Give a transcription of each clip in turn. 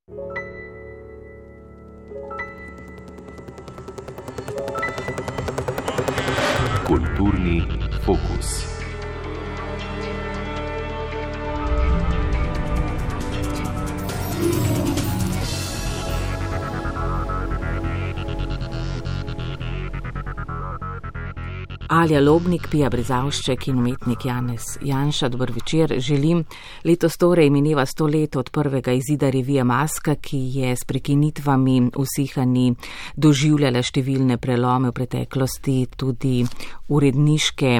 Kulturni fokus. Alja Lobnik, Pija Brezavšček in umetnik Janez Janša, dober večer, želim. Letos torej mineva 100 let od prvega izida revije Maska, ki je s prekinitvami usihanji doživljala številne prelome v preteklosti, tudi uredniške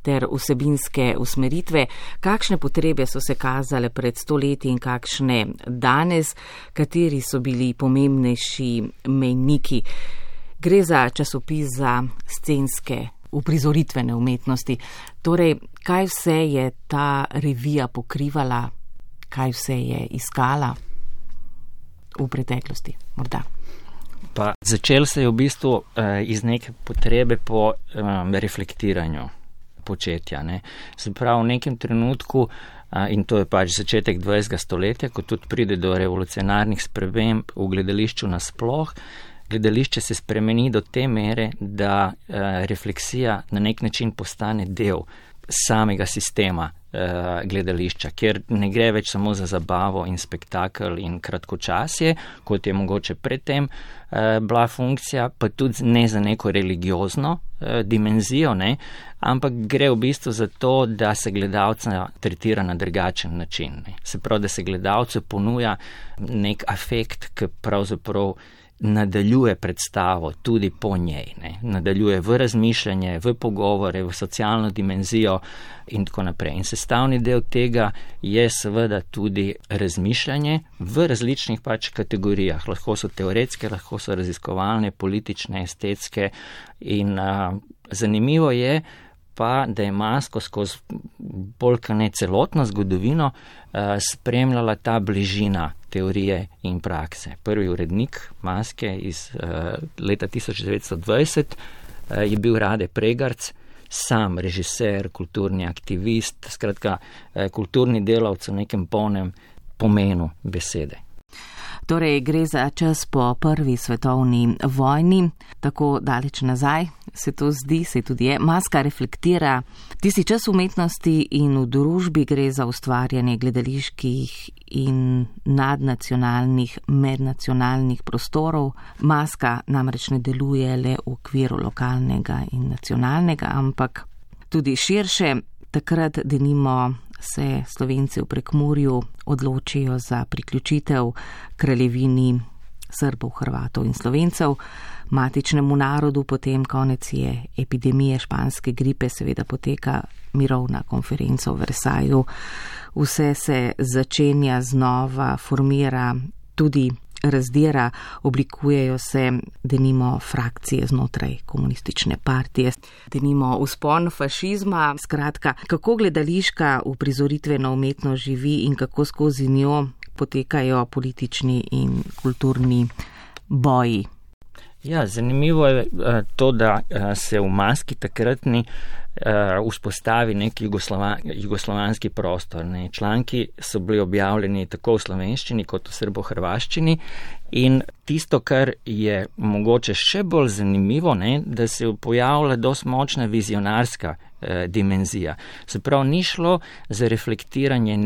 ter vsebinske usmeritve. Kakšne potrebe so se kazale pred 100 leti in kakšne danes, kateri so bili pomembnejši mejniki? Gre za časopis za scenske uprizoritvene umetnosti. Torej, kaj vse je ta revija pokrivala, kaj vse je iskala v preteklosti, morda? Pa začel se je v bistvu iz neke potrebe po reflektiranju početja. Ne. Se pravi, v nekem trenutku, in to je pač začetek 20. stoletja, ko tudi pride do revolucionarnih sprememb v gledališču nasploh, gledališče se spremeni do te mere, da refleksija na nek način postane del samega sistema gledališča, kjer ne gre več samo za zabavo in spektakel in kratkočasje, kot je mogoče predtem bila funkcija, pa tudi ne za neko religiozno dimenzijo, ne, ampak gre v bistvu za to, da se gledalca tretira na drugačen način. Ne. Se pravi, da se gledalcu ponuja nek afekt, ki pravzaprav nadaljuje predstavo tudi po njej, ne. Nadaljuje v razmišljanje, v pogovore, v socialno dimenzijo in tako naprej. In sestavni del tega je seveda tudi razmišljanje v različnih pač kategorijah. Lahko so teoretske, lahko so raziskovalne, politične, estetske in zanimivo je pa, da je Masko skozi bolj ne celotno zgodovino spremljala ta bližina teorije in prakse. Prvi urednik Maske iz leta 1920 je bil Rade Pregarc, sam režiser, kulturni aktivist, skratka kulturni delavec v nekem polnem pomenu besede. Torej, gre za čas po prvi svetovni vojni, tako daleč nazaj se to zdi, se tudi je. Maska reflektira tisti čas umetnosti in v družbi gre za ustvarjanje gledaliških in nadnacionalnih, mednacionalnih prostorov. Maska namreč ne deluje le v okviru lokalnega in nacionalnega, ampak tudi širše. Takrat denimo se Slovenci v Prekmurju odločijo za priključitev kraljevini Srbov, Hrvatov in Slovencev, matičnemu narodu, potem konec je epidemije španske gripe, seveda poteka mirovna konferenca v Versaju, vse se začenja znova, formira, tudi razdira, oblikujejo se denimo frakcije znotraj komunistične partije, denimo vzpon fašizma. Skratka, kako gledališka uprizoritvena umetnost živi in kako skozi njo potekajo politični in kulturni boji. Ja, zanimivo je to, da se v Maski takratni vzpostavi nek jugoslovanski prostor. Ne. Članki so bili objavljeni tako v slovenščini kot v srbohrvaščini in tisto, kar je mogoče še bolj zanimivo, ne, da se pojavlja dosti močna vizionarska dimenzija. Se pravi, ni šlo za reflektiranje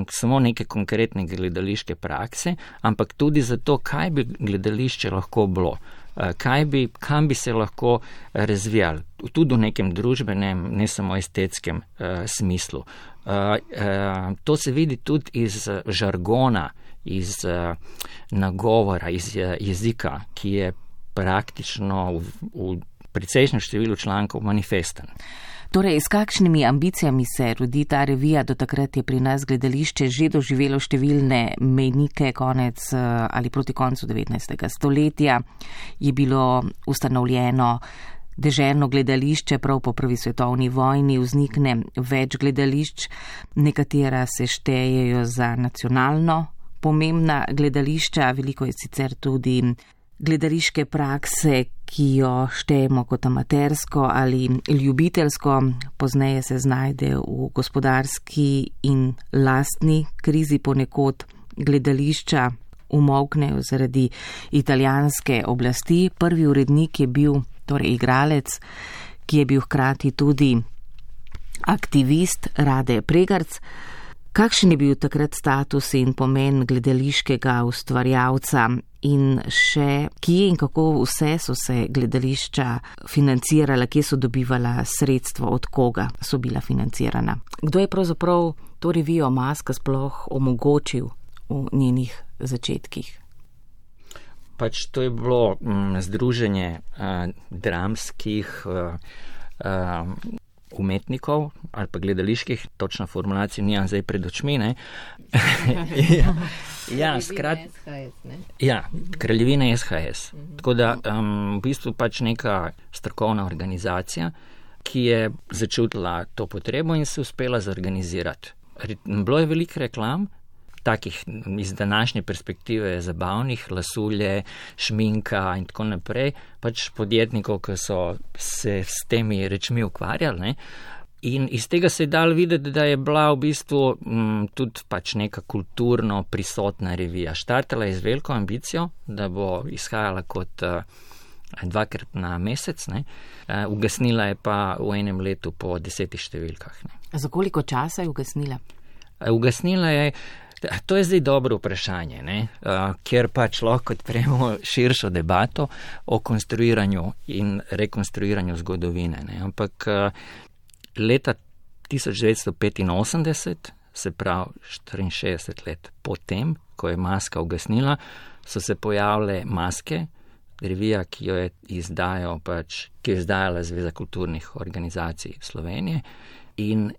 samo neke konkretne gledališke prakse, ampak tudi za to, kaj bi gledališče lahko bilo. Kam bi se lahko razvijali, tudi v nekem družbenem, ne samo estetskem smislu. To se vidi tudi iz žargona, iz nagovora, iz jezika, ki je praktično v precejšnjem številu člankov manifesten. Torej, s kakšnimi ambicijami se rodi ta revija? Do takrat je pri nas gledališče že doživelo številne mejnike, konec ali proti koncu 19. stoletja je bilo ustanovljeno deželno gledališče, prav po prvi svetovni vojni vznikne več gledališč, nekatera se štejejo za nacionalno pomembna gledališča, veliko je sicer tudi gledališke prakse, ki jo štejemo kot amatersko ali ljubiteljsko, pozneje se znajde v gospodarski in lastni krizi ponekod gledališča umolknejo zaradi italijanske oblasti. Prvi urednik je bil torej igralec, ki je bil hkrati tudi aktivist Rade Pregarc. Kakšen je bil takrat status in pomen gledališkega ustvarjalca in še kje in kako vse so se gledališča financirala, kje so dobivala sredstva, od koga so bila financirana? Kdo je pravzaprav to revijo Maska sploh omogočil v njenih začetkih? Pač to je bilo združenje dramskih umetnikov ali pa gledaliških, točno formulacijo nimam zdaj pred očmi, ne? Kraljevina SHS. Tako da v bistvu pač neka strokovna organizacija, ki je začutila to potrebo in se uspela zorganizirati. Bilo je veliko reklam, takih iz današnje perspektive zabavnih, lasulje, šminka in tako naprej, pač podjetnikov, ki so se s temi rečmi ukvarjali, ne? In iz tega se je dalo videti, da je bila v bistvu tudi pač neka kulturno prisotna revija. Štartala je z veliko ambicijo, da bo izhajala kot 2krat na mesec, ne? Ugasnila je pa v enem letu po 10 številkah. Ne? Za koliko časa je ugasnila? Ugasnila je, to je zdaj dobro vprašanje, ne? Ker pač lahko odpremo širšo debato o konstruiranju in rekonstruiranju zgodovine. Ne? Ampak leta 1985, se pravi 64 let potem, ko je Maska ugasnila, so se pojavile Maske, revija, ki jo je izdajala Zveza kulturnih organizacij Slovenije, in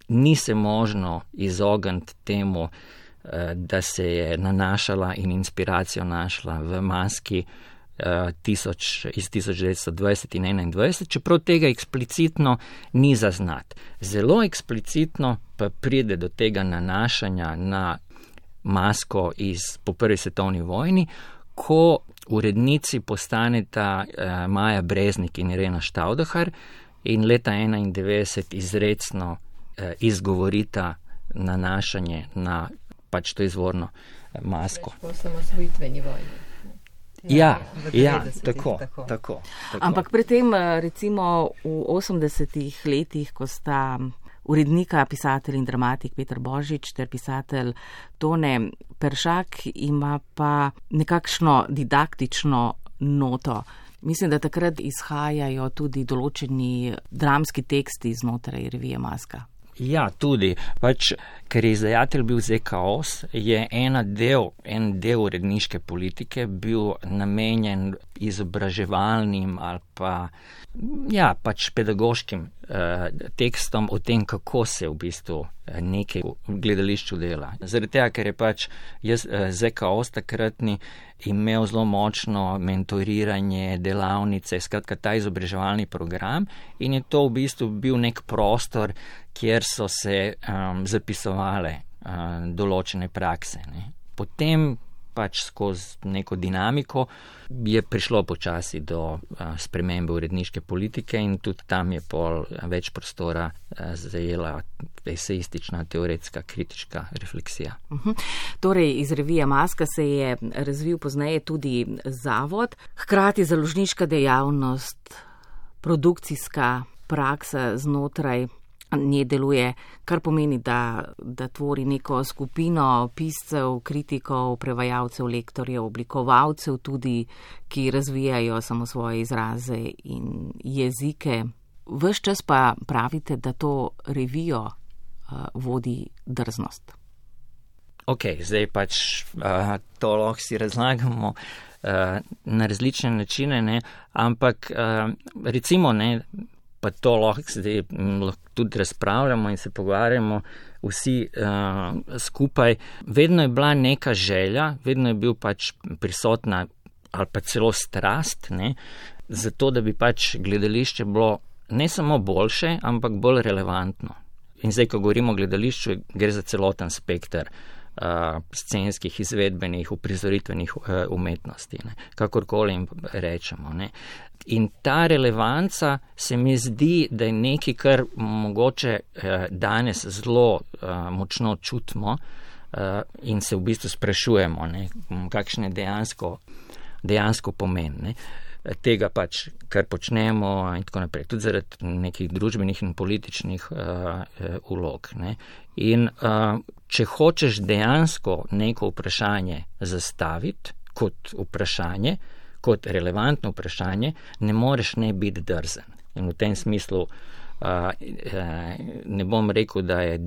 ni se možno izogniti temu, da se je nanašala in inspiracijo našla v Maski iz 1920 in 1921, čeprav tega eksplicitno ni zaznati. Zelo eksplicitno pa pride do tega nanašanja na Masko po prvi svetovni vojni, ko urednici postaneta Maja Breznik in Irena Štavdahar in leta 1991 izrecno izgovorita nanašanje na pač to izvorno Masko. Po osamosvojitveni vojni. Tako. Ampak pri tem, recimo v 80-ih letih, ko sta urednika, pisatelj in dramatik Peter Božič ter pisatelj Tone Peršak, ima pa nekakšno didaktično noto. Mislim, da takrat izhajajo tudi določeni dramski teksti znotraj revije Maska. Ja, tudi. Pač, ker je izdajatelj bil ZKOS, je en del uredniške politike bil namenjen izobraževalnim ali pa pač pedagoškim tekstom o tem, kako se v bistvu nekaj v gledališču dela. Zaradi tega, ker je pač ZKOS takratni imel zelo močno mentoriranje, delavnice, skratka ta izobraževalni program, in je to v bistvu bil nek prostor, kjer so se zapisovale določene prakse. Ne. Potem pač skozi neko dinamiko je prišlo počasi do spremembe uredniške politike in tudi tam je pol več prostora zajela esejistična, teoretska, kritička refleksija. Torej, iz revije Maska se je razvil pozneje tudi zavod, hkrati založniška dejavnost, produkcijska praksa znotraj nje deluje, kar pomeni, da tvori neko skupino piscev, kritikov, prevajalcev, lektorjev, oblikovalcev tudi, ki razvijajo samo svoje izraze in jezike. Ves čas pa pravite, da to revijo vodi drznost. Ok, zdaj pač to lahko si razlagamo na različne načine, ne? Ampak recimo, ne, pa to lahko zdaj tudi razpravljamo in se pogovarjamo vsi skupaj. Vedno je bila neka želja, vedno je bil pač prisotna ali pa celo strast, ne, zato da bi pač gledališče bilo ne samo boljše, ampak bolj relevantno. In zdaj, ko govorimo o gledališču, gre za celoten spekter scenskih, izvedbenih, uprizoritvenih umetnosti, ne, kakorkoli jim rečemo. Ne. In ta relevanca se mi zdi, da je nekaj, kar mogoče danes zelo močno čutimo, in se v bistvu sprašujemo, ne, kakšen je dejansko pomen, ne, tega pač, kar počnemo in tako naprej, tudi zaradi nekih družbenih in političnih vlog. Ne. In če hočeš dejansko neko vprašanje zastaviti kot vprašanje, kot relevantno vprašanje, ne moreš ne biti drzen. In v tem smislu ne bom rekel, da je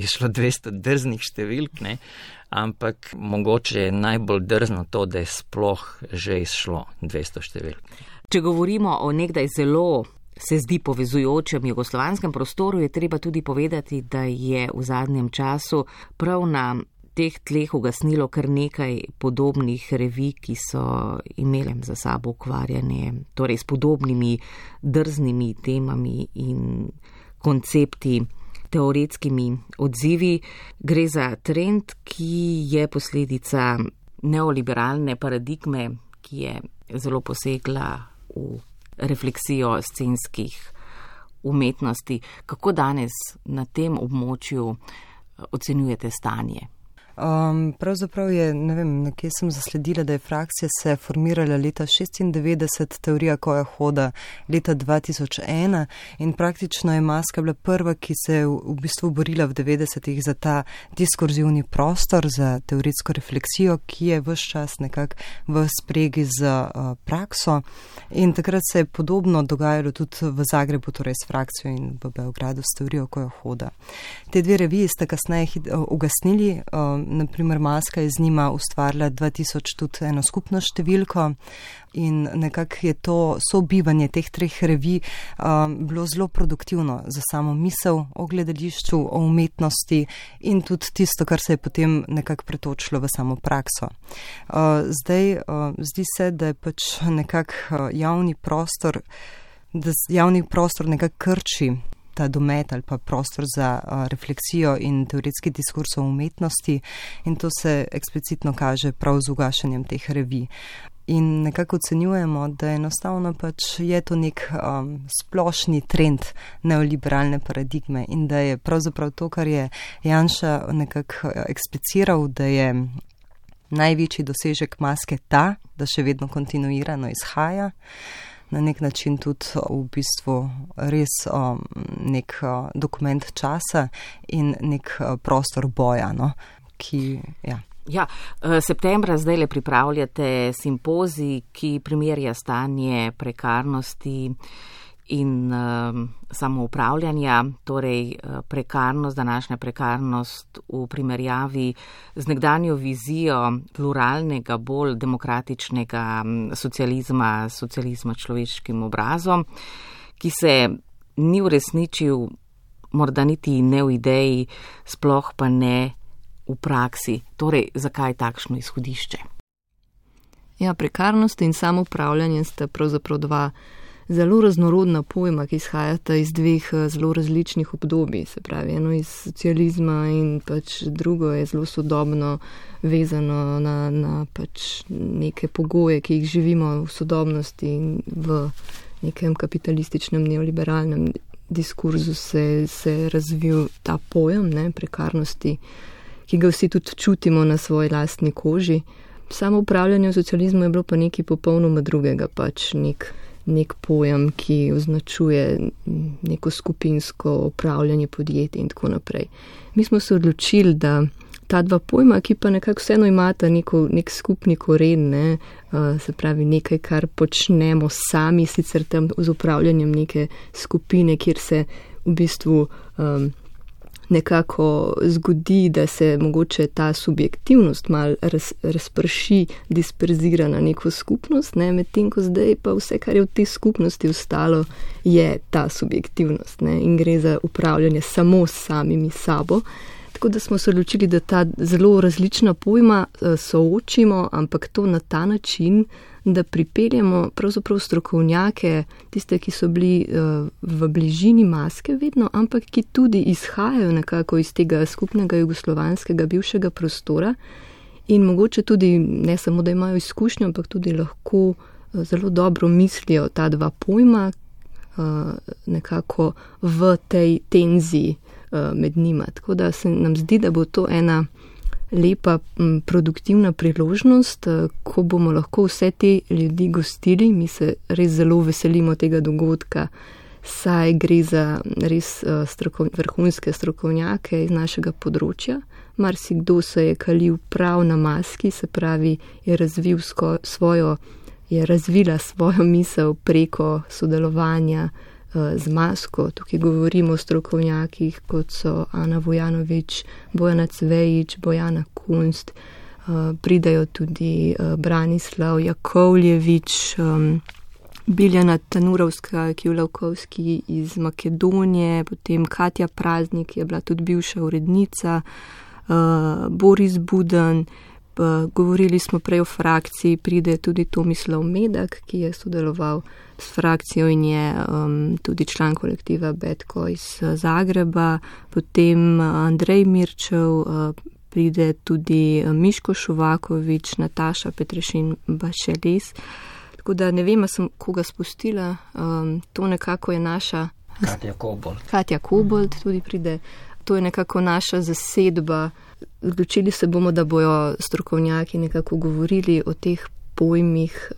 šlo 200 drznih številk, ne, ampak mogoče je najbolj drzno to, da je sploh že izšlo 200 številk. Če govorimo o nekdaj zelo se zdi povezujočem jugoslovanskem prostoru, je treba tudi povedati, da je v zadnjem času prav na teh tleh ugasnilo kar nekaj podobnih revij, ki so imele za sabo ukvarjanje, torej s podobnimi drznimi temami in koncepti, teoretskimi odzivi. Gre za trend, ki je posledica neoliberalne paradigme, ki je zelo posegla v refleksijo scenskih umetnosti. Kako danes na tem območju ocenjujete stanje? Pravzaprav je, ne vem, nekje sem zasledila, da je frakcija se formirala leta 96, teorija koja hoda leta 2001 in praktično je Maska bila prva, ki se je v bistvu borila v 90-ih za ta diskurzivni prostor, za teoretsko refleksijo, ki je ves čas nekako v spregi z prakso in takrat se je podobno dogajalo tudi v Zagrebu, torej s frakcijo in v Beogradu s teorijo koja hoda. Te dve reviji sta kasneje ugasnili, naprimer Maska je z njima ustvarila 2000 tudi eno skupno številko in nekako je to sobivanje teh treh revij bilo zelo produktivno za samo misel o gledališču, o umetnosti in tudi tisto, kar se je potem nekako pretočilo v samo prakso. Zdaj zdi se, da je pač nekako javni prostor nekako krči ta domet ali pa prostor za refleksijo in teoretski diskurs o umetnosti in to se eksplicitno kaže prav z ugašanjem teh revij. In nekako ocenjujemo, da enostavno pač je to nek splošni trend neoliberalne paradigme in da je pravzaprav to, kar je Janša nekako ekspliciral, da je največji dosežek Maske ta, da še vedno kontinuirano izhaja, na nek način tudi v bistvu res nek dokument časa in nek prostor boja, no, ki, ja. Ja, septembra zdajle pripravljate simpozij, ki primerja stanje prekarnosti in samoupravljanja, torej prekarnost, današnja prekarnost v primerjavi z nekdanjo vizijo pluralnega, bolj demokratičnega socializma človeškim obrazom, ki se ni uresničil morda niti ne v ideji, sploh pa ne v praksi. Torej, zakaj takšno izhodišče? Ja, prekarnost in samoupravljanje sta pravzaprav dva zelo raznorodna pojma, ki izhajata iz dveh zelo različnih obdobij, se pravi, eno iz socializma in pač drugo je zelo sodobno vezano na pač neke pogoje, ki jih živimo v sodobnosti in v nekem kapitalističnem neoliberalnem diskurzu se razvil ta pojem, ne, prekarnosti, ki ga vsi tudi čutimo na svoji lastni koži. Samo upravljanje v socializmu je bilo pa nekaj popolnoma drugega, pač nek pojem, ki označuje neko skupinsko upravljanje podjetij in tako naprej. Mi smo se odločili, da ta dva pojma, ki pa nekako vseeno imata nek skupni koren, ne, se pravi nekaj, kar počnemo sami, sicer tam z upravljanjem neke skupine, kjer se v bistvu nekako zgodi, da se mogoče ta subjektivnost mal razprši, disperzira na neko skupnost, ne, medtem ko zdaj pa vse, kar je v tej skupnosti ostalo, je ta subjektivnost, ne, in gre za upravljanje samo s samimi sabo. Tako da smo se odločili, da ta zelo različna pojma soočimo, ampak to na ta način, da pripeljemo pravzaprav strokovnjake, tiste, ki so bili v bližini Maske vedno, ampak ki tudi izhajajo nekako iz tega skupnega jugoslovanskega bivšega prostora in mogoče tudi ne samo, da imajo izkušnjo, ampak tudi lahko zelo dobro mislijo ta dva pojma nekako v tej tenziji med njima. Tako da se nam zdi, da bo to ena lepa, produktivna priložnost, ko bomo lahko vse te ljudi gostili. Mi se res zelo veselimo tega dogodka, saj gre za res vrhunske strokovnjake iz našega področja. Marsikdo se je kalil prav na maski, se pravi, je razvila svojo misel preko sodelovanja z masko. Tukaj govorimo o strokovnjakih, kot so Ana Vojanović, Bojana Cvejić, Bojana Kunst, pridajo tudi Branislav Jakovljević, Biljana Tanurovska-Kivlavkovski iz Makedonije, potem Katja Praznik je bila tudi bivša urednica, Boris Budan, govorili smo prej o frakciji, pride tudi Tomislav Medak, ki je sodeloval s frakcijo in je tudi član kolektiva Betko iz Zagreba, potem Andrej Mirčev, pride tudi Miško Šuvaković, Nataša Petrešin Bašelis. Tako da ne vem, sem koga spustila, to nekako je naša... Katja Kobold tudi pride. To je nekako naša zasedba. Odločili se bomo, da bojo strokovnjaki nekako govorili o teh pojmih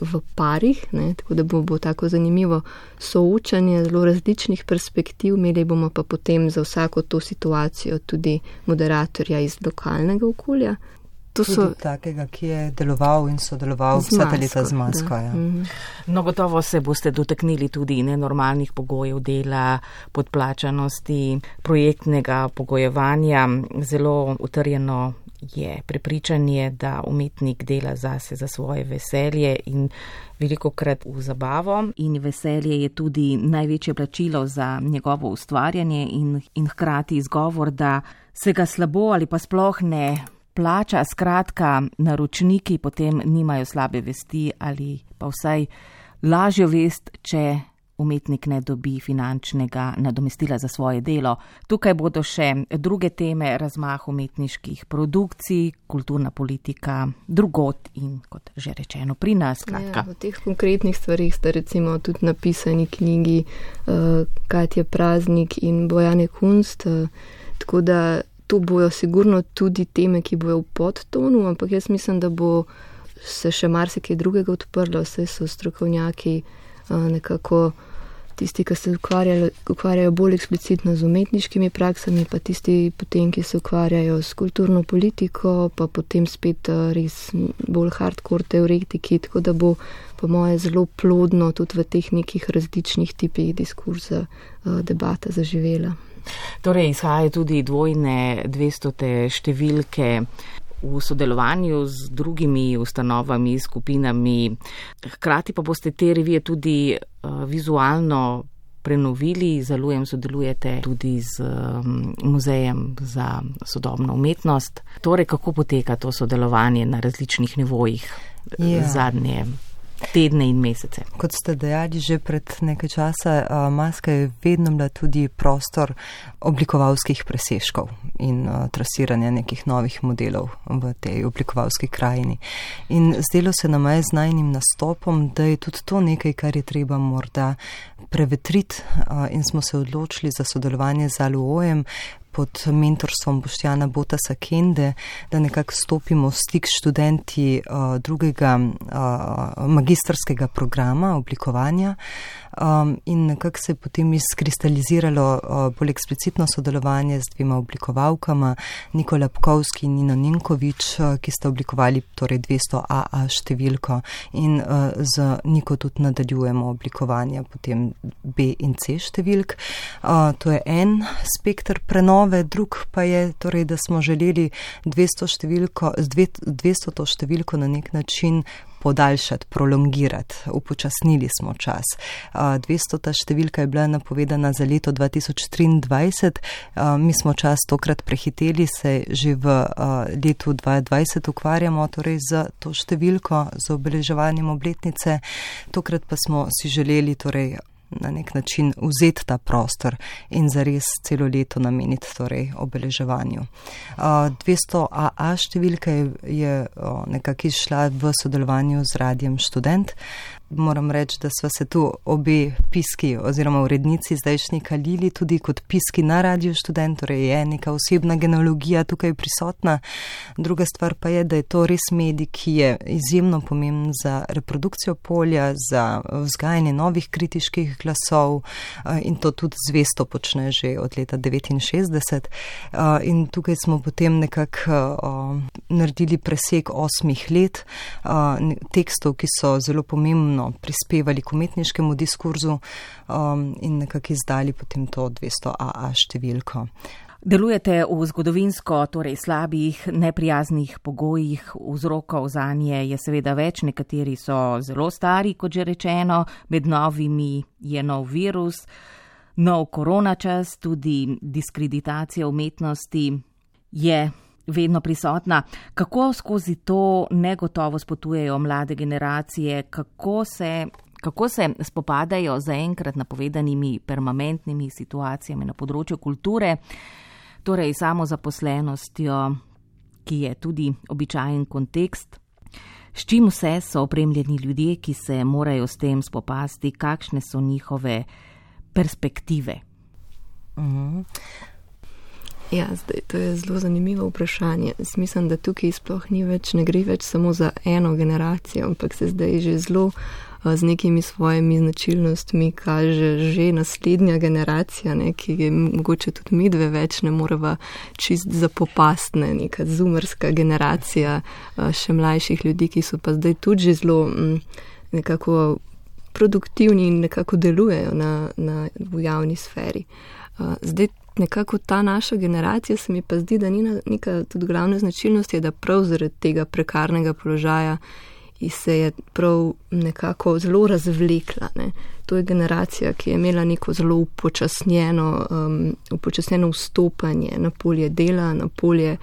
v parih, ne? Tako da bo tako zanimivo soočanje zelo različnih perspektiv. Imeli bomo pa potem za vsako to situacijo tudi moderatorja iz lokalnega okolja. Tudi takega, ki je deloval in sodeloval vsa ta leta z masko. Ja. No, gotovo se boste dotaknili tudi nenormalnih pogojev dela, podplačanosti, projektnega pogojevanja. Zelo utrjeno je prepričanje, da umetnik dela zase za svoje veselje in velikokrat v zabavo. In veselje je tudi največje plačilo za njegovo ustvarjanje in hkrati izgovor, da se ga slabo ali pa sploh ne plača. Skratka, naročniki potem nimajo slabe vesti ali pa vsaj lažjo vest, če umetnik ne dobi finančnega nadomestila za svoje delo. Tukaj bodo še druge teme, razmah umetniških produkcij, kulturna politika, drugot in, kot že rečeno, pri nas. Skratka. Ja, v teh konkretnih stvarih sta recimo tudi napisani knjigi Katja Praznik in Bojane Kunst, tako da to bojo sigurno tudi teme, ki bojo v podtonu, ampak jaz mislim, da bo se še marsikaj drugega odprlo, vse so strokovnjaki nekako tisti, ki se ukvarjajo bolj eksplicitno z umetniškimi praksami, pa tisti potem, ki se ukvarjajo s kulturno politiko, pa potem spet res bolj hardcore teoretiki, tako da bo po moje zelo plodno tudi v teh nekih različnih tipih diskurza debata zaživela. Torej, izhajajo tudi dvojne 200. številke v sodelovanju z drugimi ustanovami, skupinami. Hkrati pa boste te revije tudi vizualno prenovili. Zalujem sodelujete tudi z Muzejem za sodobno umetnost. Torej, kako poteka to sodelovanje na različnih nivojih zadnje tedne in mesece? Kot ste dejali že pred nekaj časa, maska je vedno bila tudi prostor oblikovalskih presežkov in trasiranja nekih novih modelov v tej oblikovalski krajini. In zdelo se nam je z najnim nastopom, da je tudi to nekaj, kar je treba morda prevetriti, in smo se odločili za sodelovanje z Aluojem pod mentorstvom Boštjana Botasa Kende, da nekako stopimo v stik s študenti drugega magistrskega programa oblikovanja, in nekako se je potem izkristaliziralo bolj eksplicitno sodelovanje z dvema oblikovalkama, Niko Lapkovski in Nino Nenković, ki sta oblikovali torej 200AA številko, in z Niko tudi nadaljujemo oblikovanje potem B in C številk. To je en spekter prenove, drug pa je torej, da smo želeli 200. številko na nek način podaljšati, prolongirati, upočasnili smo čas. 200. številka je bila napovedana za leto 2023, mi smo čas tokrat prehiteli, se že v letu 2020 ukvarjamo torej z to številko, z obeleževanjem obletnice, tokrat pa smo si želeli torej na nek način vzeti ta prostor in zares celo leto nameniti torej obeleževanju. 200AA številka je nekako izšla v sodelovanju z Radiem Študent. moram reči, da sva se tu obe piski oziroma urednici zdajšnji kalili tudi kot piski na Radio Študent, torej je neka osebna genealogija tukaj prisotna. Druga stvar pa je, da je to res medij, ki je izjemno pomemben za reprodukcijo polja, za vzgajanje novih kritiških glasov in to tudi zvesto počne že od leta 1969. In tukaj smo potem nekako naredili presek 8 let tekstov, ki so zelo pomembno prispevali k umetniškemu diskurzu in nekako izdali potem to 200 AA številko. Delujete v zgodovinsko, torej slabih, neprijaznih pogojih, vzrokov zanje je seveda več, nekateri so zelo stari, kot že rečeno, med novimi je nov virus, nov koronačas, tudi diskreditacija umetnosti je vedno prisotna. Kako skozi to negotovost potujejo mlade generacije, kako se spopadajo zaenkrat napovedanimi permanentnimi situacijami na področju kulture, torej samozaposlenostjo, ki je tudi običajen kontekst. S čim vse so opremljeni ljudje, ki se morajo s tem spopasti, kakšne so njihove perspektive? Ja, zdaj, to je zelo zanimivo vprašanje. Mislim, da tukaj sploh ne gre več samo za eno generacijo, ampak se zdaj že zelo z nekimi svojimi značilnostmi kaže že naslednja generacija, ki je mogoče tudi mi dve več ne moreva čist zapopastne, neka zoomerska generacija še mlajših ljudi, ki so pa zdaj tudi že zelo nekako produktivni in nekako delujejo v javni sferi. Zdaj nekako ta naša generacija se mi pa zdi, da ni neka tudi glavna značilnost je, da prav zaradi tega prekarnega položaja se je prav nekako zelo razvlekla. Ne. To je generacija, ki je imela neko zelo upočasnjeno vstopanje na polje dela, na polje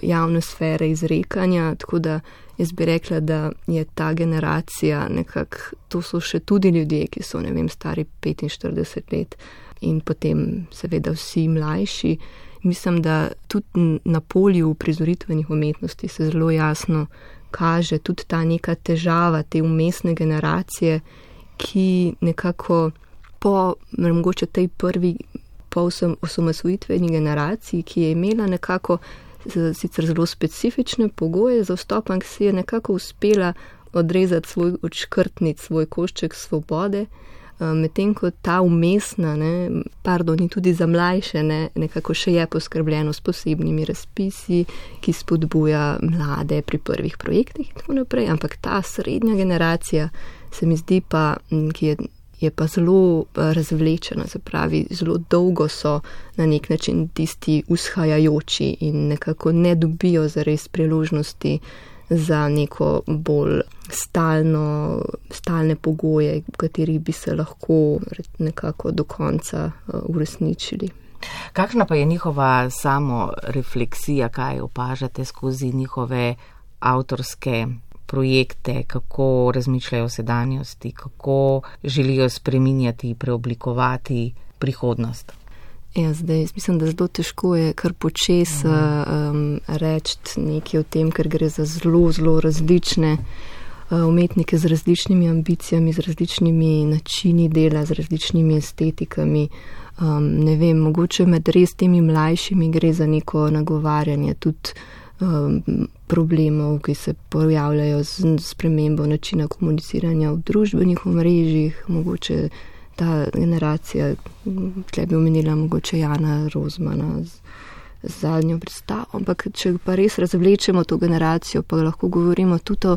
javne sfere izrekanja, tako da jaz bi rekla, da je ta generacija nekako, to so še tudi ljudje, ki so, ne vem, stari 45 let in potem seveda vsi mlajši. Mislim, da tudi na polju uprizoritvenih umetnosti se zelo jasno kaže tudi ta neka težava te umestne generacije, ki nekako po mogoče tej prvi osamosvojitveni generaciji, ki je imela nekako sicer zelo specifične pogoje za vstop, ampak si je nekako uspela odrezati odškrtniti svoj košček svobode, medtem ko ta umestna, in tudi za mlajše, nekako še je poskrbljeno s posebnimi razpisi, ki spodbuja mlade pri prvih projektih in tako naprej, ampak ta srednja generacija se mi zdi pa, ki je pa zelo razvlečena, se pravi, zelo dolgo so na nek način tisti vzhajajoči in nekako ne dobijo zares priložnosti za neko bolj stalne pogoje, v katerih bi se lahko nekako do konca uresničili. Kakšna pa je njihova samorefleksija, kaj opažate skozi njihove avtorske projekte, kako razmišljajo o sedanjosti, kako želijo spreminjati, preoblikovati prihodnost? Ja, zdaj, mislim, da zelo težko je kar počes reči nekaj o tem, ker gre za zelo, zelo različne umetnike z različnimi ambicijami, z različnimi načini dela, z različnimi estetikami. Ne vem, mogoče med res temi mlajšimi gre za neko nagovarjanje tudi problemov, ki se pojavljajo z spremembo načina komuniciranja v družbenih omrežjih, mogoče ta generacija, tle bi omenila mogoče Jana Rozmana z zadnjo predstavo, ampak če pa res razvlečemo to generacijo, pa lahko govorimo tudi o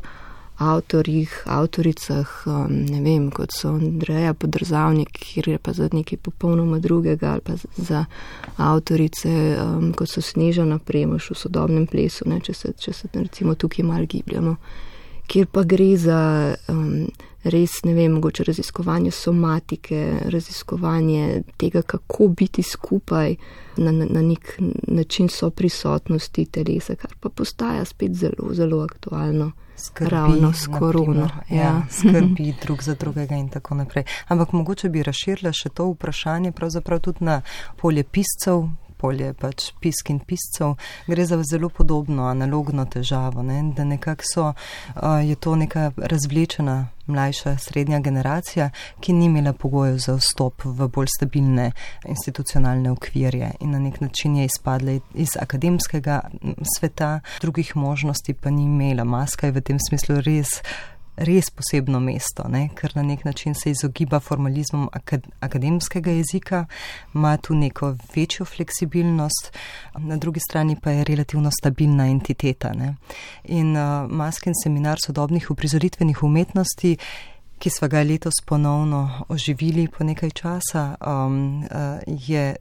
avtorjih, avtoricah, ne vem, kot so Andreja Podrzavnik, kjer je pa za nekaj popolnoma drugega, ali pa za avtorice, kot so Snežana Premoš v sodobnem plesu, če se recimo tukaj malo gibljamo, kjer pa gre za res, ne vem, mogoče raziskovanje somatike, raziskovanje tega, kako biti skupaj na nek način soprisotnosti telesa, kar pa postaja spet zelo, zelo aktualno. Ravno s korono. Ja, skrbi drug za drugega in tako naprej. Ampak mogoče bi razširila še to vprašanje pravzaprav tudi na polje piscev, polje pač pisk in piscev, gre za zelo podobno analogno težavo, ne? Da nekako je to neka razvlečena mlajša srednja generacija, ki ni imela pogojev za vstop v bolj stabilne institucionalne okvirje in na nek način je izpadla iz akademskega sveta, drugih možnosti pa ni imela. Maska je v tem smislu res posebno mesto, ne? Ker na nek način se izogiba formalizmom akademskega jezika, ima tu neko večjo fleksibilnost, na drugi strani pa je relativno stabilna entiteta. Ne? In Maskin seminar sodobnih uprizoritvenih umetnosti, ki sva ga letos ponovno oživili po nekaj časa, je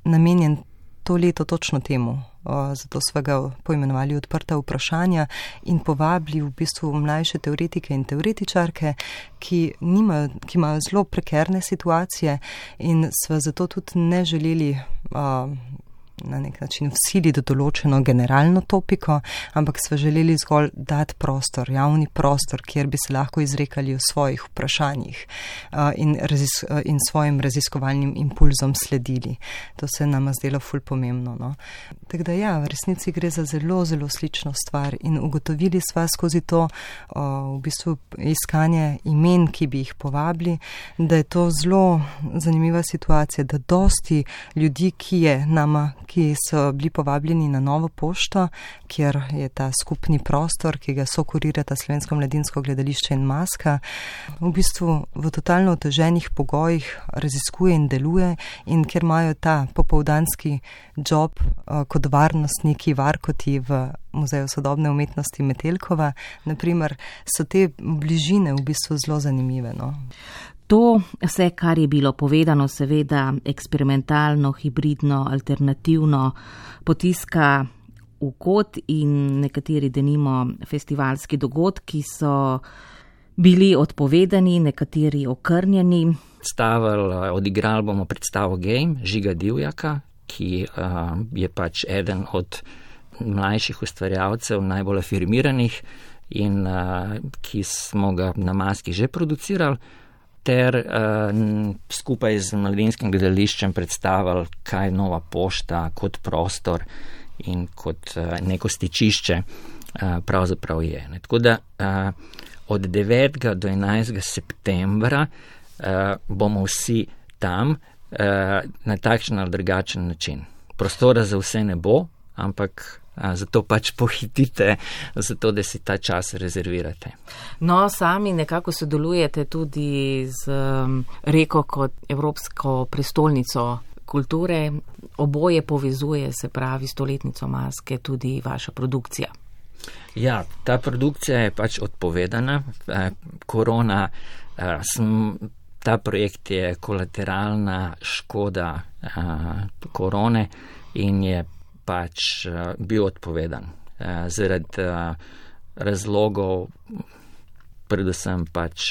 namenjen to leto točno temu. Zato sva ga poimenovali odprta vprašanja in povabili v bistvu mlajše teoretike in teoretičarke, ki imajo zelo prekerne situacije in sva zato tudi ne želeli na nek način vsiliti določeno generalno topiko, ampak sva želeli zgolj dati prostor, javni prostor, kjer bi se lahko izrekali o svojih vprašanjih in svojim raziskovalnim impulzom sledili. To se nama zdelo ful pomembno. No? Tako da ja, v resnici gre za zelo, zelo slično stvar in ugotovili sva skozi to v bistvu iskanje imen, ki bi jih povabili, da je to zelo zanimiva situacija, da dosti ljudi, ki so bili povabljeni na Novo pošto, kjer je ta skupni prostor, ki ga sokurirata Slovensko mladinsko gledališče in Maska, v bistvu v totalno oteženih pogojih raziskuje in deluje in kjer imajo ta popoldanski job kot varnostniki, varkoti v Muzeju sodobne umetnosti Metelkova, naprimer, so te bližine v bistvu zelo zanimive. No? To vse, kar je bilo povedano, seveda eksperimentalno, hibridno, alternativno, potiska v kot in nekateri denimo festivalski dogodki so bili odpovedani, nekateri okrnjeni. Odigrali bomo predstavo Game Žiga Divjaka, ki je pač eden od mlajših ustvarjalcev, najbolj afirmiranih in ki smo ga na Maski že producirali, ter skupaj z Mladinskim gledališčem predstavili, kaj Nova pošta kot prostor in kot neko stičišče pravzaprav je. Tako da od 9. do 11. septembra bomo vsi tam na takšen ali drugačen način. Prostora za vse ne bo, ampak zato pač pohitite, zato da si ta čas rezervirate. No, sami nekako sodelujete tudi z Reko kot Evropsko prestolnico kulture. Oboje povezuje, se pravi, stoletnico Maske, tudi vaša produkcija. Ja, ta produkcija je pač odpovedana. Korona, ta projekt je kolateralna škoda korone in je pač bil odpovedan zaradi razlogov, predvsem pač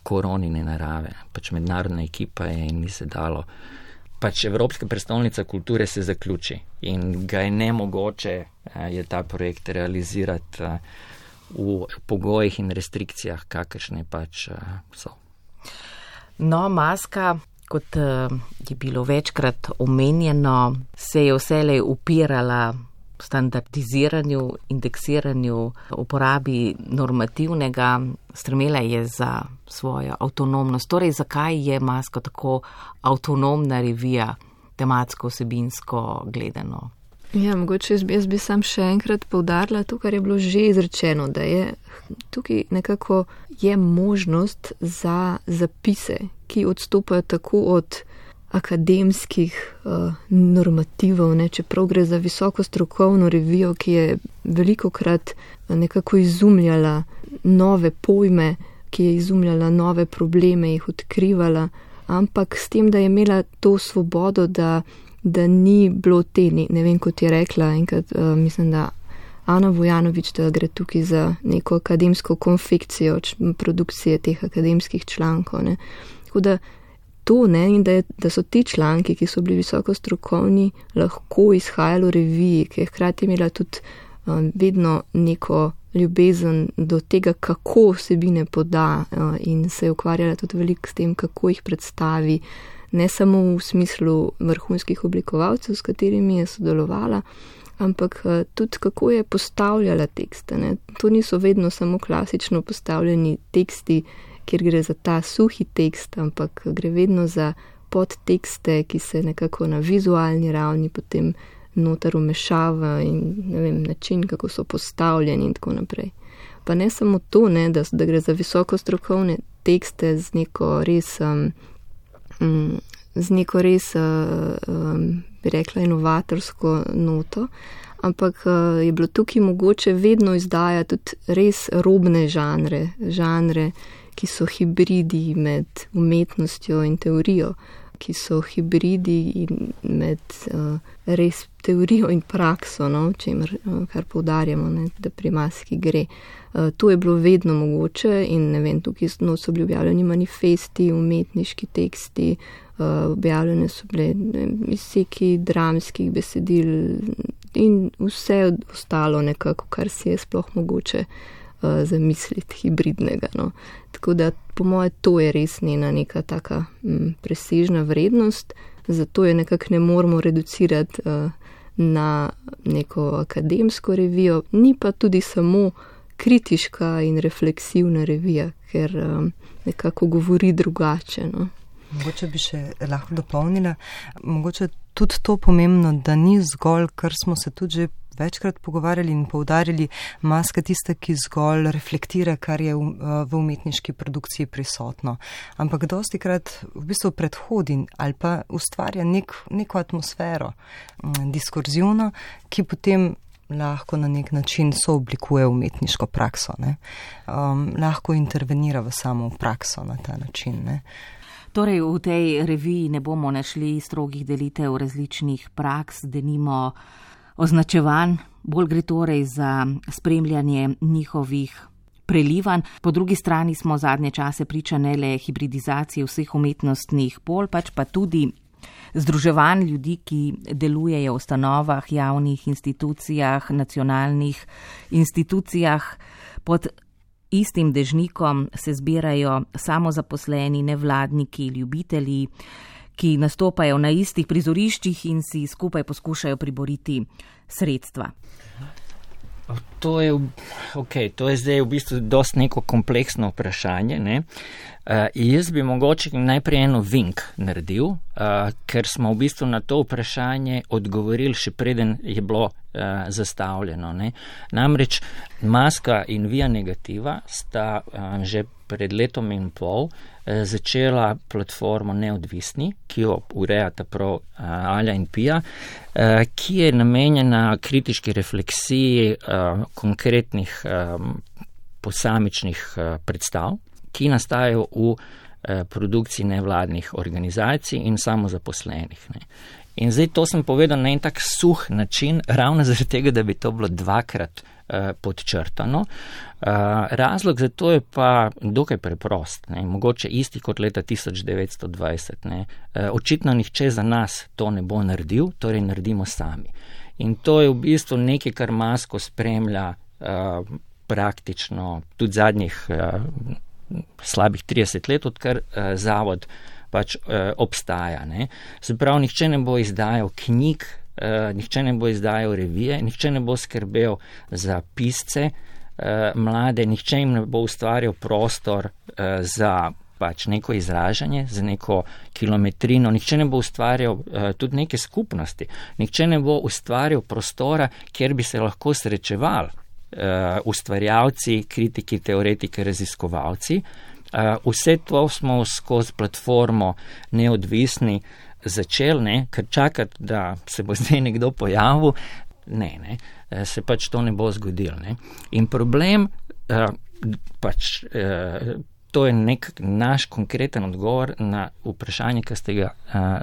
koronine narave. Pač mednarodna ekipa je in ni se dalo. Pač Evropska prestolnica kulture se zaključi in ga je nemogoče je ta projekt realizirati v pogojih in restrikcijah, kakršne pač so. No, Maska, kot je bilo večkrat omenjeno, se je vselej upirala standardiziranju, indeksiranju, uporabi normativnega, stremela je za svojo avtonomnost. Torej, zakaj je Maska tako avtonomna revija, tematsko, vsebinsko gledano? Ja, mogoče jaz bi sam še enkrat poudarila to, kar je bilo že izrečeno, da je tukaj nekako je možnost za zapise, ki odstopajo tako od akademskih normativov, ne, čeprav gre za visoko strokovno revijo, ki je velikokrat nekako izumljala nove pojme, ki je izumljala nove probleme, jih odkrivala, ampak s tem, da je imela to svobodo, da ni bilo te, ne vem, kot je rekla enkrat, mislim, da Ana Vujanović, da gre tukaj za neko akademsko konfekcijo produkcije teh akademskih člankov. Ne. Tako da to, ne, in da so ti članki, ki so bili visoko strokovni, lahko izhajali v reviji, ki je hkrati imela tudi vedno neko ljubezen do tega, kako vsebine poda in se je ukvarjala tudi veliko s tem, kako jih predstavi, ne samo v smislu vrhunskih oblikovalcev, s katerimi je sodelovala, ampak tudi kako je postavljala tekste. Ne. To niso vedno samo klasično postavljeni teksti, kjer gre za ta suhi tekst, ampak gre vedno za podtekste, ki se nekako na vizualni ravni potem noter umešava in ne vem, način, kako so postavljeni in tako naprej. Pa ne samo to, ne, da gre za visoko strokovne tekste z neko res, bi rekla, inovatorsko noto, ampak je bilo tukaj mogoče vedno izdajati tudi res robne žanre, ki so hibridi med umetnostjo in teorijo, ki so hibridi med res teorijo in prakso, no, kar poudarjamo, ne, da pri maski gre. To je bilo vedno mogoče in ne vem, tukaj so bili objavljeni manifesti, umetniški teksti, objavljene so bile izseki dramskih besedil in vse ostalo nekako, kar si je sploh mogoče zamisliti hibridnega. No. Tako da po moje to je res njena neka taka presežna vrednost, zato je nekako ne moramo reducirati na neko akademsko revijo, ni pa tudi samo kritiška in refleksivna revija, ker nekako govori drugače. No. Mogoče bi še lahko dopolnila, mogoče tudi to pomembno, da ni zgolj, kar smo se tudi že večkrat pogovarjali in poudarjali, maska tista, ki zgolj reflektira, kar je v umetniški produkciji prisotno. Ampak dostikrat v bistvu predhodi ali pa ustvarja neko atmosfero diskurzivno, ki potem lahko na nek način sooblikuje umetniško prakso. Lahko intervenira v samo prakso na ta način. Ne. Torej, v tej reviji ne bomo našli strogih delitev različnih praks, denimo označevanj, bolj gre torej za spremljanje njihovih prelivanj. Po drugi strani smo zadnje čase priča ne le hibridizacije vseh umetnostnih pol, pač pa tudi združevanj ljudi, ki delujejo v ustanovah, javnih institucijah, nacionalnih institucijah. Pod istim dežnikom se zbirajo samozaposleni, nevladniki, ljubitelji, ki nastopajo na istih prizoriščih in si skupaj poskušajo priboriti sredstva. To je zdaj v bistvu dosti neko kompleksno vprašanje. Ne? Jaz bi mogoče najprej eno vink naredil, ker smo v bistvu na to vprašanje odgovorili še preden je bilo zastavljeno. Ne? Namreč maska in via negativa sta že pred letom in pol začela platformo Neodvisni, ki jo urejata prav Alja in Pija, ki je namenjena kritiški refleksiji konkretnih posamičnih predstav, ki nastajajo v produkciji nevladnih organizacij in samozaposlenih. Ne. In zdaj to sem povedal na en tak suh način, ravno zaradi tega, da bi to bilo dvakrat podčrtano. Razlog za to je pa dokaj preprost, ne. Mogoče isti kot leta 1920. Ne. Očitno nihče za nas to ne bo naredil, torej naredimo sami. In to je v bistvu nekaj, kar masko spremlja praktično tudi zadnjih slabih 30 let, odkar zavod pač obstaja. Ne. Se pravi, nihče ne bo izdajal knjig, nihče ne bo izdajal revije, nihče ne bo skrbel za pisce mlade, nihče jim ne bo ustvarjal prostor za pač neko izražanje, za neko kilometrino, nihče ne bo ustvarjal tudi neke skupnosti, nihče ne bo ustvarjal prostora, kjer bi se lahko srečevali ustvarjalci, kritiki, teoretiki, raziskovalci. Vse to smo skozi platformo Neodvisni začeli, ne, ker čakati, da se bo zdaj nekdo pojavil, ne, se pač to ne bo zgodilo. Ne. In problem, to je nek naš konkreten odgovor na vprašanje, ki ste ga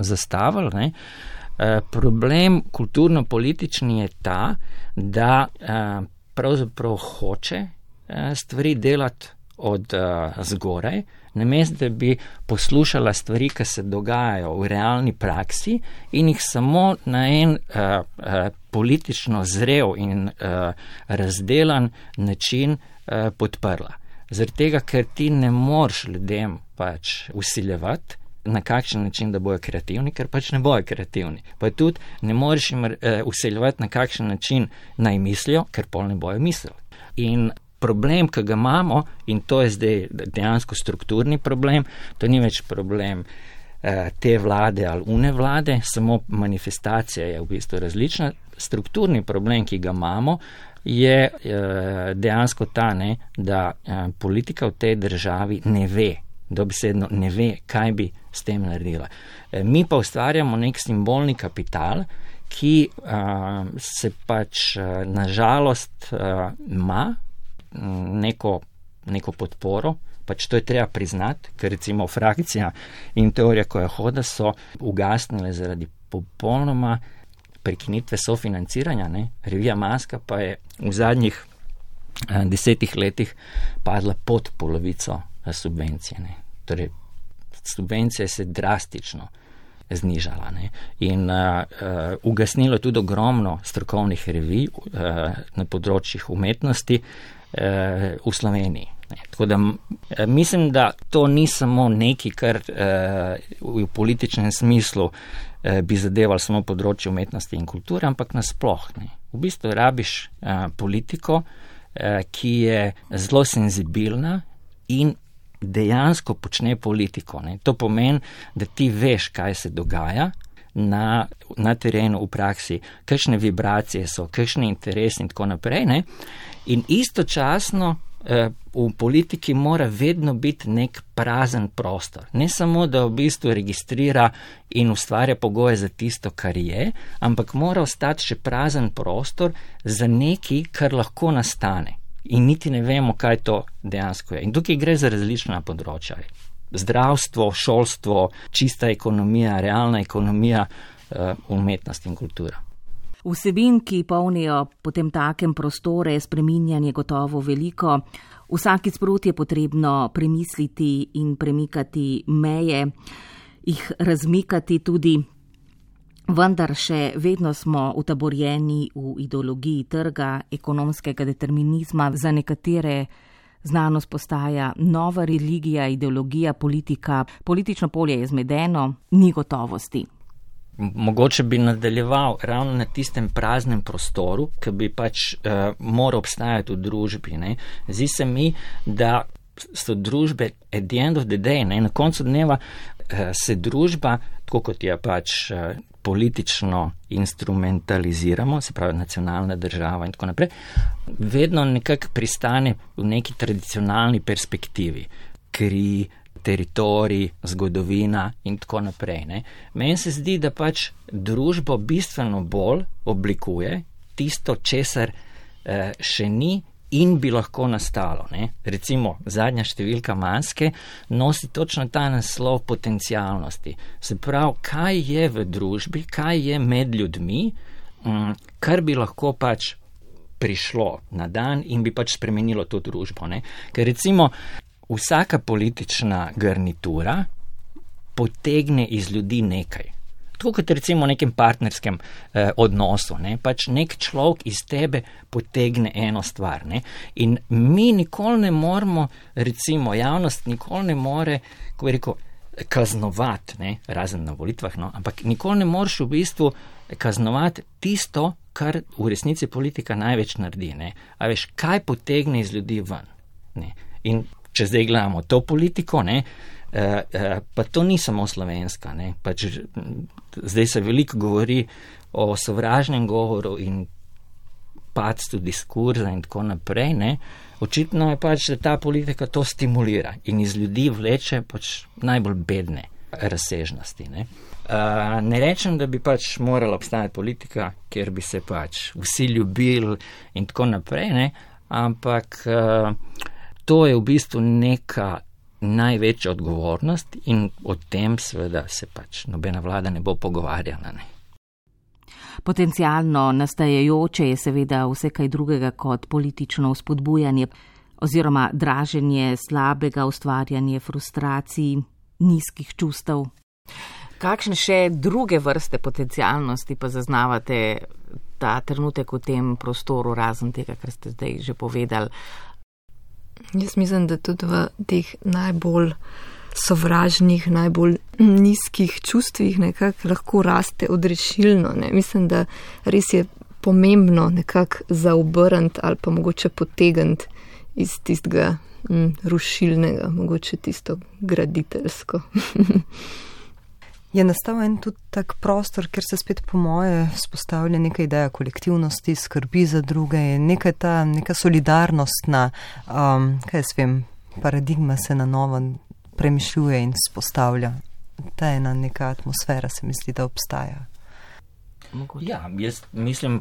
zastavili. Ne. Problem kulturno-politični je ta, da pravzaprav hoče stvari delati od zgoraj, namesto da bi poslušala stvari, ki se dogajajo v realni praksi in jih samo na en politično zrel in razdelan način podprla. Zaradi tega, ker ti ne moreš ljudem pač vsiljevati, na kakšen način, da bojo kreativni, ker pač ne bojo kreativni. Pa tudi ne moreš jim vsiljevati, na kakšen način naj mislijo, ker pol ne bojo mislili. In problem, ki ga imamo, in to je zdaj dejansko strukturni problem, to ni več problem te vlade ali une vlade, samo manifestacija je v bistvu različna. Strukturni problem, ki ga imamo, je dejansko ta, da politika v tej državi ne ve, dobesedno ne ve, kaj bi s tem naredila. Mi pa ustvarjamo nek simbolni kapital, ki se pač nažalost ima neko podporo, pač to je treba priznati, ker recimo frakcija in teorija Kojahoda so ugasnile zaradi popolnoma prekinitve sofinanciranja. Revija Maska pa je v zadnjih 10 letih padla pod polovico subvencije. Torej, subvencija se drastično znižala in ugasnilo tudi ogromno strokovnih revij na področjih umetnosti v Sloveniji. Tako da mislim, da to ni samo nekaj, kar v političnem smislu bi zadeval samo področje umetnosti in kulture, ampak nasploh. V bistvu rabiš politiko, ki je zelo senzibilna in dejansko počne politiko. To pomeni, da ti veš, kaj se dogaja na terenu, v praksi, kakšne vibracije so, kakšne interesi in tako naprej. In istočasno v politiki mora vedno biti nek prazen prostor. Ne samo, da v bistvu registrira in ustvarja pogoje za tisto, kar je, ampak mora ostati še prazen prostor za nekaj, kar lahko nastane. In niti ne vemo, kaj to dejansko je. In tukaj gre za različna področja. Zdravstvo, šolstvo, čista ekonomija, realna ekonomija, umetnost in kultura. Vsebin, ki polnijo potem takem prostore, spreminjanje gotovo veliko. Vsakič sproti je potrebno premisliti in premikati meje, jih razmikati tudi, vendar še vedno smo utaborjeni v ideologiji trga, ekonomskega determinizma. Za nekatere znanost postaja nova religija, ideologija, politika. Politično polje je zmedeno, ni gotovosti. Mogoče bi nadaljeval ravno na tistem praznem prostoru, ki bi pač moral obstajati v družbi. Zdi se mi, da so družbe at the end of the day, na koncu dneva se družba, tako kot je pač politično instrumentaliziramo, se pravi nacionalna država in tako naprej, vedno nekako pristane v neki tradicionalni perspektivi. Kri, teritorij, zgodovina in tako naprej. Meni se zdi, da pač družbo bistveno bolj oblikuje tisto, česar še ni in bi lahko nastalo. Recimo, zadnja številka Maske nosi točno ta naslov potencialnosti. Se pravi, kaj je v družbi, kaj je med ljudmi, kar bi lahko pač prišlo na dan in bi pač spremenilo to družbo. Ker recimo, vsaka politična garnitura potegne iz ljudi nekaj. Tako kot recimo v nekem partnerskem odnosu. Pač nek človek iz tebe potegne eno stvar. In mi nikoli ne moremo, recimo javnost nikoli ne more, kako bi rekel, kaznovati, razen na volitvah, ampak nikoli ne moreš v bistvu kaznovati tisto, kar v resnici politika največ naredi. A veš, kaj potegne iz ljudi ven. In če zdaj gledamo to politiko, pa to ni samo slovenska. Pač zdaj se veliko govori o sovražnem govoru in padcu diskurza in tako naprej. Očitno je pač, da ta politika to stimulira in iz ljudi vleče pač najbolj bedne razsežnosti. Ne rečem, da bi pač morala obstajati politika, kjer bi se pač vsi ljubili in tako naprej, ampak to je v bistvu neka največja odgovornost in o tem seveda se pač nobena vlada ne bo pogovarjala. Potencialno nastajajoče je seveda vse kaj drugega kot politično vzpodbujanje. oziroma draženje slabega, ustvarjanje frustracij, nizkih čustev. Kakšne še druge vrste potencialnosti pa zaznavate ta trenutek v tem prostoru, razen tega, kar ste zdaj že povedali? Jaz mislim, da tudi v teh najbolj sovražnih, najbolj nizkih čustvih nekako lahko raste odrešilno. Ne? Mislim, da res je pomembno nekako zaobrniti ali pa mogoče potegniti iz tistega rušilnega, mogoče tisto graditeljsko. Je nastal en tudi tak prostor, kjer se spet po moje vzpostavlja neka ideja kolektivnosti, skrbi za druge, neka solidarnostna, paradigma se na novo premišljuje in vzpostavlja. Ta ena neka atmosfera se mi zdi, da obstaja. Ja, jaz mislim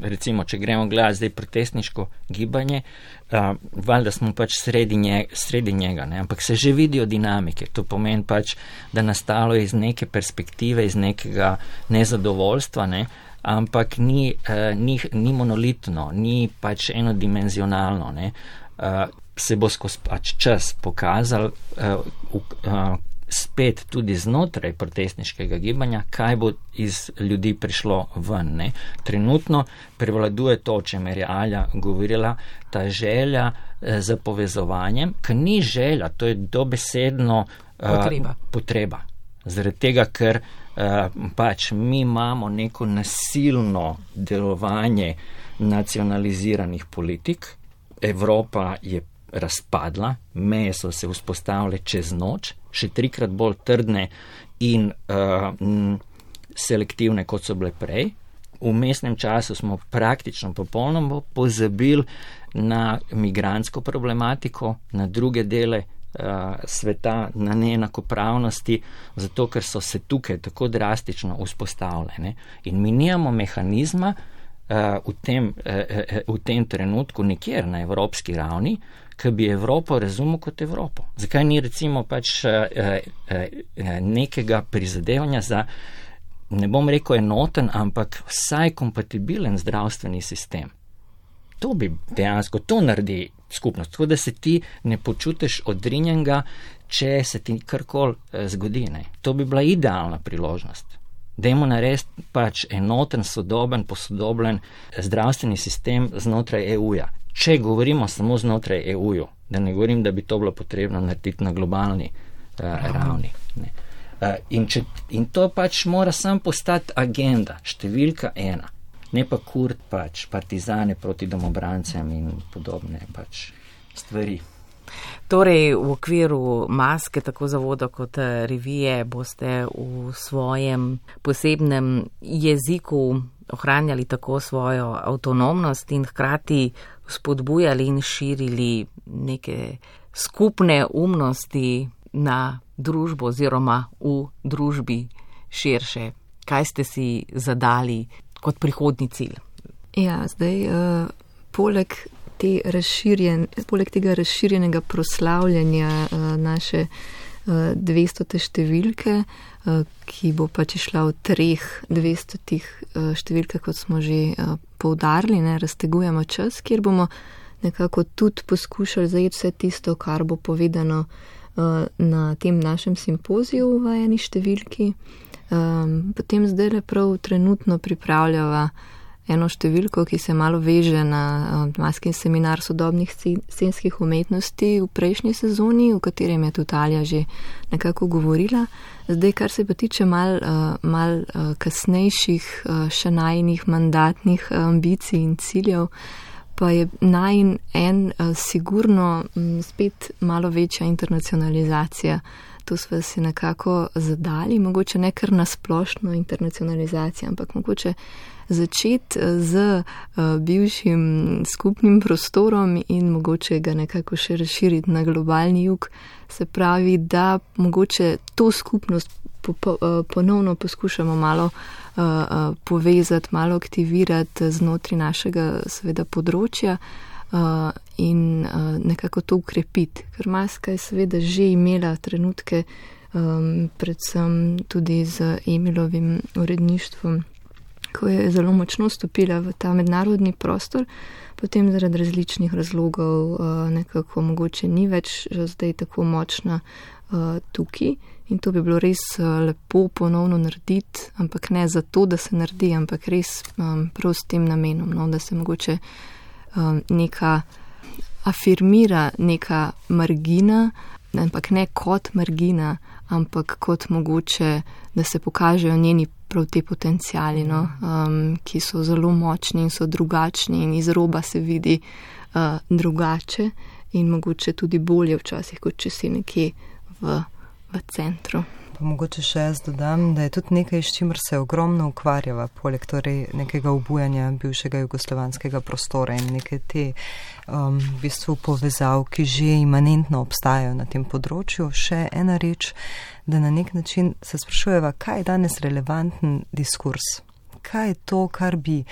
recimo, če gremo gledati zdaj protestniško gibanje, valjda smo sredi njega, ne? Ampak se že vidijo dinamike. To pomeni da nastalo iz neke perspektive, iz nekega nezadovoljstva, ne? Ampak ni monolitno, ni enodimenzionalno, ne? Se bo skozi čas pokazal, spet tudi znotraj protestniškega gibanja, kaj bo iz ljudi prišlo ven. Ne? Trenutno prevladuje to, o čemer je Alja govorila, ta želja za povezovanjem, ki ni želja, to je dobesedno potreba. Zaradi tega, ker mi imamo neko nasilno delovanje nacionaliziranih politik, Evropa je razpadla, meje so se vzpostavile čez noč, še 3-krat bolj trdne in selektivne, kot so bile prej. V mestnem času smo praktično popolnoma pozabili na migrantsko problematiko, na druge dele sveta, na neenakopravnosti, zato ker so se tukaj tako drastično vzpostavljene. In mi nimamo mehanizma v tem trenutku nikjer na evropski ravni, ki bi Evropo razumel kot Evropo. Zakaj ni recimo nekega prizadevanja za, ne bom rekel enoten, ampak vsaj kompatibilen zdravstveni sistem? To bi dejansko, to naredi skupnost, tako da se ti ne počutiš odrinjenega, če se ti karkoli zgodi. Ne? To bi bila idealna priložnost. Dajmo narediti enoten, sodoben, posodobljen zdravstveni sistem znotraj EU-ja. Če govorimo samo znotraj EU-ju, da ne govorim, da bi to bilo potrebno narediti na globalni ravni. Ne. In to mora sam postati agenda, številka 1, ne pa Kurt partizane proti domobrancem in podobne stvari. Torej, v okviru Maske, tako zavoda kot revije, boste v svojem posebnem jeziku ohranjali tako svojo avtonomnost in hkrati spodbujali in širili neke skupne umnosti na družbo oziroma v družbi širše. Kaj ste si zadali kot prihodnji cilj? Ja, zdaj poleg tega razširjenega proslavljanja naše 200. številke, ki bo išla v 3 200 številkah, kot smo že poudarili, ne, raztegujemo čas, kjer bomo nekako tudi poskušali zajeti vse tisto, kar bo povedano na tem našem simpoziju v eni številki. Potem zdaj prav trenutno pripravljava eno številko, ki se malo veže na Maskin seminar sodobnih scenskih umetnosti v prejšnji sezoni, v katerem je tudi Alja že nekako govorila. Zdaj, kar se pa tiče mal kasnejših, še najinih mandatnih ambicij in ciljev, pa je najin sigurno spet malo večja internacionalizacija. To smo si nekako zadali, mogoče ne kar na splošno internacionalizacijo, ampak mogoče začeti z bivšim skupnim prostorom in mogoče ga nekako še razširiti na globalni jug. Se pravi, da mogoče to skupnost ponovno poskušamo malo povezati, malo aktivirati znotraj našega seveda področja in nekako to ukrepiti. Ker Maska je seveda že imela trenutke, predvsem tudi z Emilovim uredništvom, ko je zelo močno stopila v ta mednarodni prostor, potem zaradi različnih razlogov nekako mogoče ni več zdaj tako močna tukaj. In to bi bilo res lepo ponovno narediti, ampak ne zato, da se naredi, ampak res prav s tem namenom, no, da se mogoče neka afirmira neka margina, ampak ne kot margina, ampak kot mogoče, da se pokažejo njeni prav te potencijali, no, ki so zelo močni in so drugačni in iz roba se vidi drugače in mogoče tudi bolje včasih, kot če si nekje v centru. Pa mogoče še jaz dodam, da je tudi nekaj, s čimer se ogromno ukvarjava, poleg torej nekega obujanja bivšega jugoslovanskega prostora in neke te v bistvu povezav, ki že imanentno obstajajo na tem področju. Še ena reč, da na nek način se sprašujeva, kaj je danes relevanten diskurs? Kaj je to, kar bi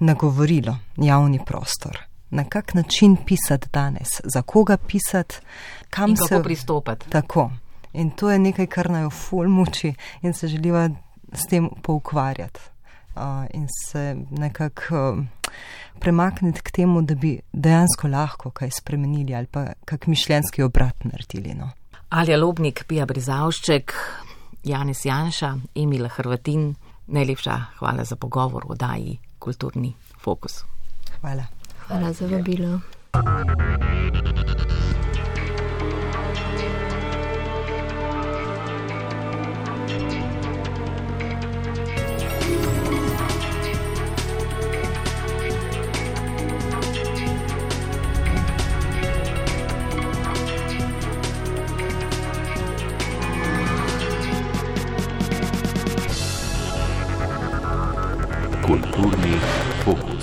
nagovorilo javni prostor? Na kak način pisati danes? Za koga pisati? In kako pristopati? Tako. In to je nekaj, kar naj ful muči in se želiva s tem poukvarjati in se nekako premakniti k temu, da bi dejansko lahko kaj spremenili ali pa kak mišljenjski obrat naredili. No. Alja Lobnik, Pija Brizavšček, Janez Janša, Emila Hrvatin, najlepša hvala za pogovor o oddaji Kulturni fokus. Hvala. Hvala za vabilo. Kulturni fokus.